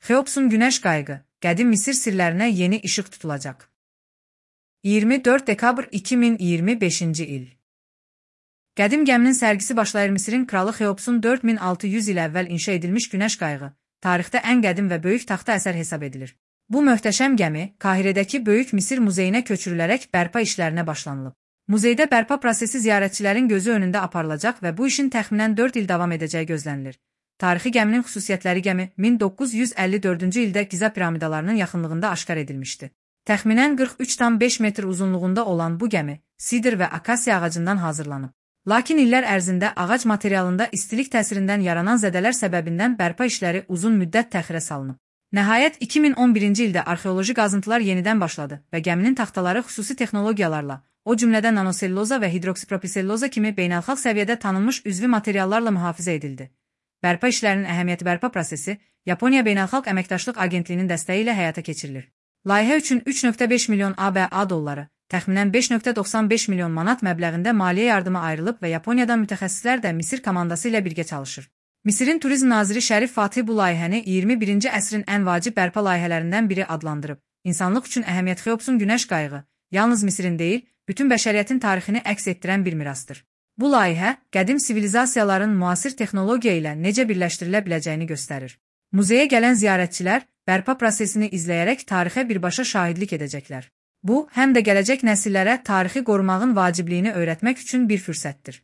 Xeopsun Günəş Qayığı, qədim Misir sirlərinə yeni işıq tutulacaq. 24 dekabr 2025-ci il. Qədim gəminin sərgisi başlayır. Misirin kralı Xeopsun 4600 il əvvəl inşa edilmiş Günəş Qayığı, tarixdə ən qədim və böyük taxta əsər hesab edilir. Bu möhtəşəm gəmi, Kahirədəki Böyük Misir Muzeyinə köçürülərək bərpa işlərinə başlanılıb. Muzeydə bərpa prosesi ziyarətçilərin gözü önündə aparılacaq və bu işin təxminən 4 il davam edəcəyi gözlənilir. Tarixi gəminin xüsusiyyətləri gəmi 1954-cü ildə Giza piramidalarının yaxınlığında aşkar edilmişdi. Təxminən 43,5 metr uzunluğunda olan bu gəmi sidr və akasiya ağacından hazırlanıb. Lakin illər ərzində ağac materialında istilik təsirindən yaranan zədələr səbəbindən bərpa işləri uzun müddət təxirə salınıb. Nəhayət 2011-ci ildə arxeoloji qazıntılar yenidən başladı və gəminin taxtaları xüsusi texnologiyalarla, o cümlədən nanoselluloza və hidroksipropilselluloza kimi beynəlxalq səviyyədə tanınmış üzvi materiallarla mühafizə edildi. Bərpa işlərinin əhəmiyyəti bərpa prosesi Yaponiya Beynəlxalq Əməkdaşlıq Agentliyinin dəstəyi ilə həyata keçirilir. Layihə üçün 3,5 milyon ABA dolları, təxminən 5,95 milyon manat məbləğində maliyyə yardımı ayrılıb və Yaponiyadan mütəxəssislər də Misir komandası ilə birgə çalışır. Misirin Turizm Naziri Şərif Fatih bu layihəni 21-ci əsrin ən vacib bərpa layihələrindən biri adlandırıb. İnsanlıq üçün əhəmiyyət Xeopsun Günəş Qayığı yalnız Misirin deyil, bütün bəşəriyyətin tarixini əks etdirən bir mirasdır. Bu layihə, qədim sivilizasiyaların müasir texnologiya ilə necə birləşdirilə biləcəyini göstərir. Muzeyə gələn ziyarətçilər bərpa prosesini izləyərək tarixə birbaşa şahidlik edəcəklər. Bu, həm də gələcək nəsillərə tarixi qorumağın vacibliyini öyrətmək üçün bir fürsətdir.